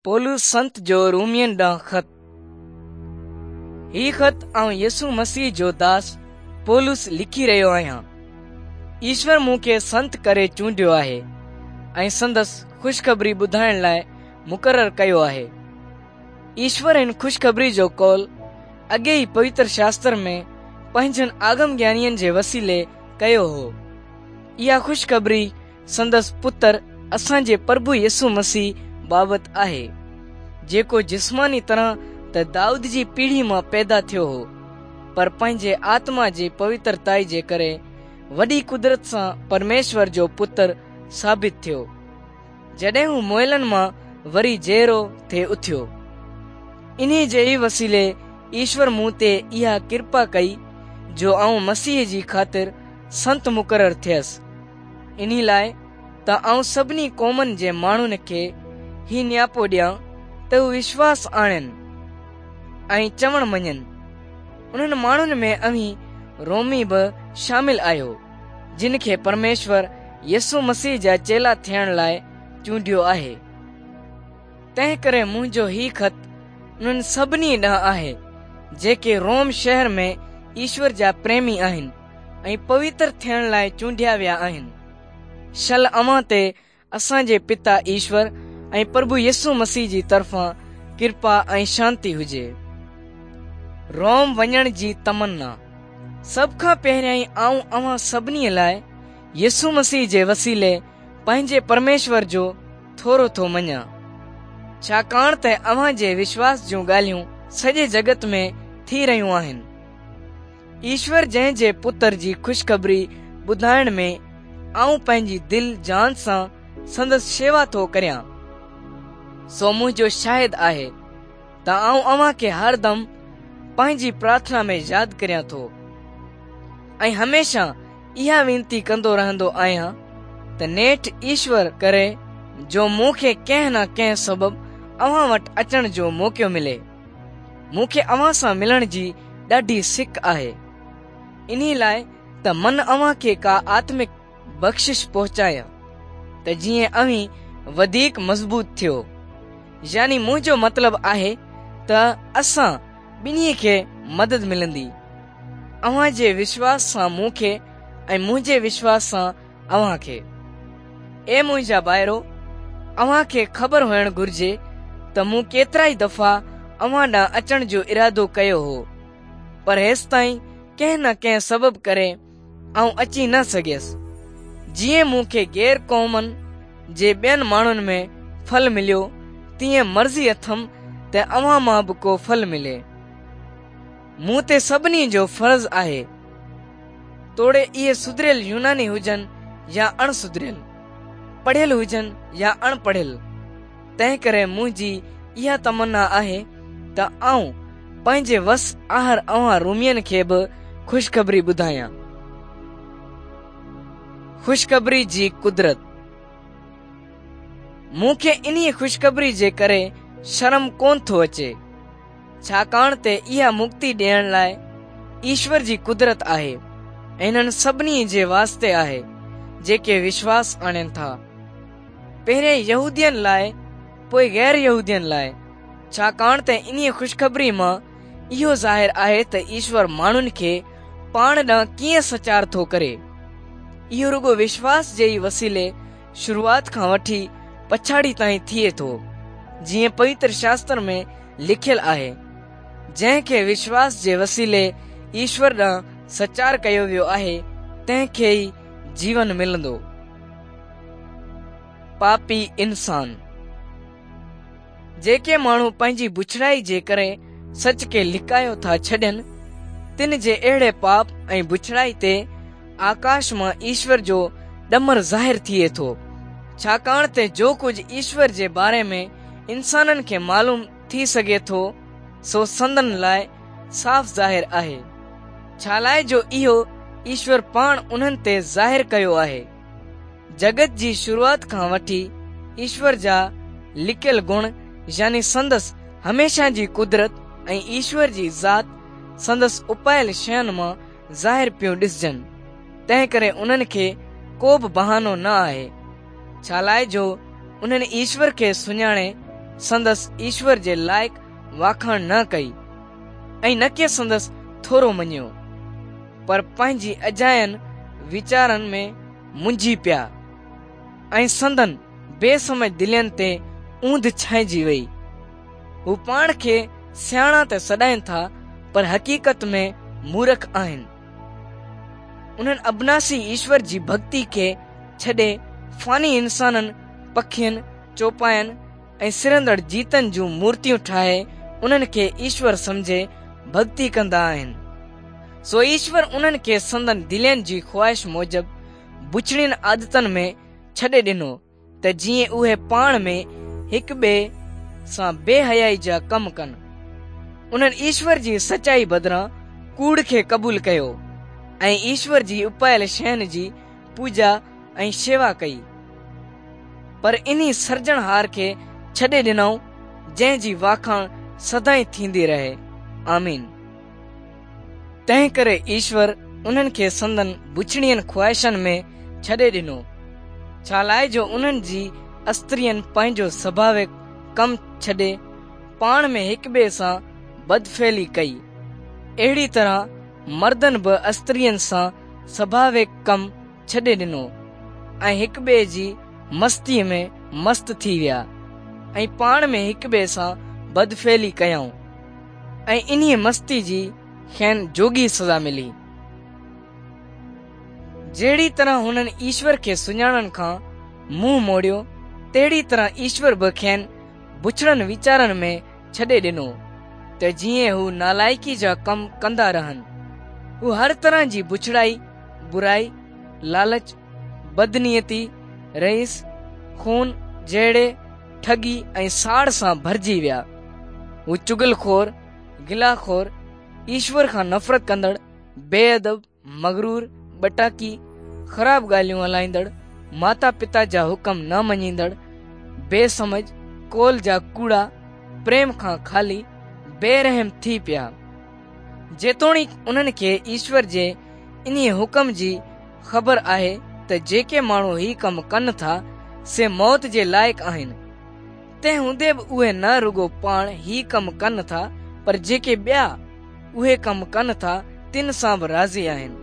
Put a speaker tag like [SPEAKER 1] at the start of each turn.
[SPEAKER 1] پولس سنت جو رومين ڏانهن خط. هي خط آئون يسوع مسيح جو داس پولس لکي رهيو آهيان. ايشور مون کي سنت ڪري چونڊيو آهي ۽ سندس خوشخبري ٻڌائڻ لاء مقرر ڪيو آهي. ايشور هن خوشخبري جو قول اڳي ئي پوتر شاستر ۾ پنهنجن آگم گيانين جي وسيلي ڪيو هو. اها خوشخبري سندس پتر اسان جي پرڀو يسوع مسيح بابت آهي، جيڪو جسماني طرح ته دائود جي پيڙهي مان پيدا ٿيو هو، پر پنهنجي آتما جي پوترتائي جي ڪري وڏي قدرت سان پرميشور جو پتر ثابت ٿيو، جڏهن هو مئلن مان وري جيئرو ٿي اٿيو. انهي جي ئي وسيلي ايشور مون تي اها ڪرپا ڪئي جو آئون مسيح جي خاطر سنت مقرر ٿيس. انهي لاء ته آئون سڀني قومن جي ماڻهن کي هي نياپو ڏيان ته هو وشواس آڻين ۽ چوڻ مڃين. انهن ماڻهن ۾ اوهين رومي به شامل آهيو، جن کي پرميشور يسوع مسيح جا چيلا ٿيڻ لاء چونڊيو آهي. تنهنڪري منهنجو هي خط انهن سڀني ڏانهن آهي، جيڪي روم شهر ۾ ايشور جا پريمي آهن. ۽ پوتر ٿيڻ لاء چونڊيا ويا آهن. شل اوهان تي اسان جي پتا ايشور ۽ پرڀو يسوع مسيح جي طرفان ڪرپا ۽ شانتي هجي. روم وڃڻ جي تمنا. سڀ کان پهريائين آئون اوهان سڀني لاء يسوع مسيح جي وسيلي پنهنجي پرميشور جو ٿورو ٿو مڃان، ڇاڪاڻ ته اوهان جي وشواس جون ڳالهيون سڄي جڳت ۾ ٿي رهيون آهن. ايشور جنهن جي پتر جي خوشخبري ٻڌائڻ ۾ آئون پنهنجي دل جان سان سندس شيوا ٿو ڪريان، سو منهنجو شاهد آهي ته آئون اوهان کي هر دم پنهنجي پرارٿنا ۾ ياد ڪريان ٿو ۽ هميشه اها وينتي ڪندو رهندو آهيان ته نيٺ ايشور ڪري جو مون کي ڪنهن نه ڪنهن سبب اوهان وٽ اچڻ جو موقعو ملي. مون کي اوهان سان ملڻ جي ڏاڍي سڪ آهي، انهي لاء ته من اوهان کي ڪا آتمڪ بخشش پهچايان، ته جيئن اوهين وڌيڪ مضبوط ٿيو. يعني منهنجو مطلب آهي ته اسان ٻنهي کي مدد ملندي، اوهان جي وشواس سان مون کي ۽ منهنجي وشواس سان اوهان کي. اي منهنجا ڀائرو! اوهان کي خبر هئڻ گهرجي ته مون ڪيترائي دفعا اوهان ڏانهن اچڻ جو ارادو ڪيو هو، پر هيستائين ڪنهن نه ڪنهن سبب ڪري آئون اچي نه سگهيس. جيئن مون کي غير قومن جي ٻين ماڻهن ۾ ڦل مليو، تيئن مرضي اٿم ته اوهان مان به ڪو ڦل ملي. مون تي سڀني جو فرض آهي. توڙي اهي سڌريل يوناني هجن يا اڻ سڌريل، پڙهيل هجن يا اڻ پڙهيل، تنهنڪري منهنجي اها تمنا آهي ته آئون پنهنجي وس آهر اوهان رومين کي به خوشخبري ٻڌايان. خوشخبري جي قدرت. مون کي انهيء خوشخبري جي ڪري شرم ڪونه ٿو اچي. ڇاڪاڻ ته اها مڪتي ڏيڻ لاء ايشور جي قدرت آهي ۽ انهن سڀني جي واسطي آهي جيڪي وشواس آڻين ٿا. پهرين يهودين لاء پوء غير يهودين لاء، ڇاڪاڻ ته انهيء خوشخبري مان اهو ظاهر آهي ته ايشور ماڻهن کي پاڻ ڏانهن ڪيئن سچار ٿو ڪري. اهو رڳو وشواس جي ئي وسيلي شروعات کان وٺي پڇاڙي تائين ٿئي ٿو، جيئن پوتر شاستر ۾ لکيل آهي، جنهن کي وشواس جي وسيلي ايشور ڏانهن سچار ڪيو ويو آهي، تنهن کي ئي جيون ملندو. پاپي انسان. جيڪي ماڻهو پنهنجي بڇڙائي جي ڪري سچ کي لڪايو ٿا ڇڏين، تن جي اهڙي پاپ ۽ بڇڙائي تي آڪاش مان ايشور جو ڏمر ظاهر ٿئي ٿو، ڇاڪاڻ ته جو ڪجهه ايشور جي باري ۾ انسانن کي معلوم ٿي سگهي ٿو، سو سندن لاء صاف ظاهر آهي، ڇالاء جو اهو ايشور پاڻ انهن تي ظاهر ڪيو آهي. جڳت جي شروعات کان وٺي ايشور جا لڪيل گڻ يعني سندس هميشه جي قدرت ۽ ايشور جي ذات سندس اپايل شين مان ظاهر پيون ڏسجن، تنهنڪري انهن کي ڪو به بهانو نه آهي، ڇالاء جو انهن ايشور کي سڃاڻي سندس ايشور جي لائق واکاڻ نه ڪئي ۽ نه ڪي سندس ٿورو مڃيو، پر پنهنجي اجاين ويچارن ۾ منجهي پيا ۽ سندن بي سمجهه دلين تي اوندهه ڇانئجي وئي. هو پاڻ کي سياڻا ته سڏائين ٿا، پر حقيقت ۾ مورک آهن. انهن ابناسي ايشور جي ڀڳتي کي ڇڏي فاني انسانن، پکين، چوپاين ۽ سرندڙ جيتن جون مورتيون ٺاهي انهن کي ايشور سمجهي ڀڳتي ڪندا آهن. سو ايشور انهن کي سندن دلين جي خواهش موجب بڇڙين عادتن ۾ ڇڏي ڏنو ته جيئن اهي پاڻ ۾ هڪ ٻئي سان بي حيائي جا ڪم ڪن. انهن ايشور جي سچائي بدران ڪوڙ کي قبول ڪيو ۽ ايشور جي اپايل شين جي پوڄا ۽ شيوا ڪئي. پر انهي سرجڻهار کي ڇڏي ڏنائون جنهن جي واکاڻ سدائين ٿيندي رهي. آمين. تنهنڪري ايشور انهن کي سندن بڇڙين خواهشن ۾ ڇڏي ڏنو، ڇالاء جو انهن جي استرين پنهنجو سڀاويڪ ڪم ڇڏي پاڻ ۾ هڪٻئي سان بدفعلي ڪئي. اهڙي طرح مردن به استرين سان سڀاويڪ ڪم ڇڏي ڏنو ۽ هڪٻئي جي مستيء ۾ مست ٿي ويا ۽ پاڻ ۾ هڪٻئي سان بدفعلي ڪيائون ۽ انهيء مستي جي کين جوڳي سزا ملي. جهڙي طرح هنن ايشور کي سڃاڻڻ کان منهن موڙيو، تهڙي طرح ايشور به کين بڇڙن ويچارن ۾ ڇڏي ڏنو ته جيئن هو نالائقي جا ڪم ڪندا رهن. هو هر طرح جي بڇڙائي، برائي، لالچ، بدنيتي، رئيس، خون، جهيڙي، ٺڳي ۽ ساڙ سان ڀرجي ويا. هو چغل خور، گلا خور، ايشور کان نفرت ڪندڙ، بي ادب، مغرور، ٻٽاڪي، خراب ڳالهيون هلائيندڙ، ماتا پتا جا حڪم نه مڃيندڙ، بي سمجهه، قول جا ڪوڙا، پريم کان خالي، بي رحم ٿي پيا. جيتوڻيڪ انهن کي ايشور جي انهيء حڪم جي خبر آهي ته جيڪي ماڻهو هي ڪم ڪن ٿا، سي موت جي لائق آهن، تنهن هوندي به اهي نه رڳو پاڻ هي ڪم ڪن ٿا، پر جيڪي ٻيا اهي ڪم ڪن ٿا، تن سان به راضي آهن.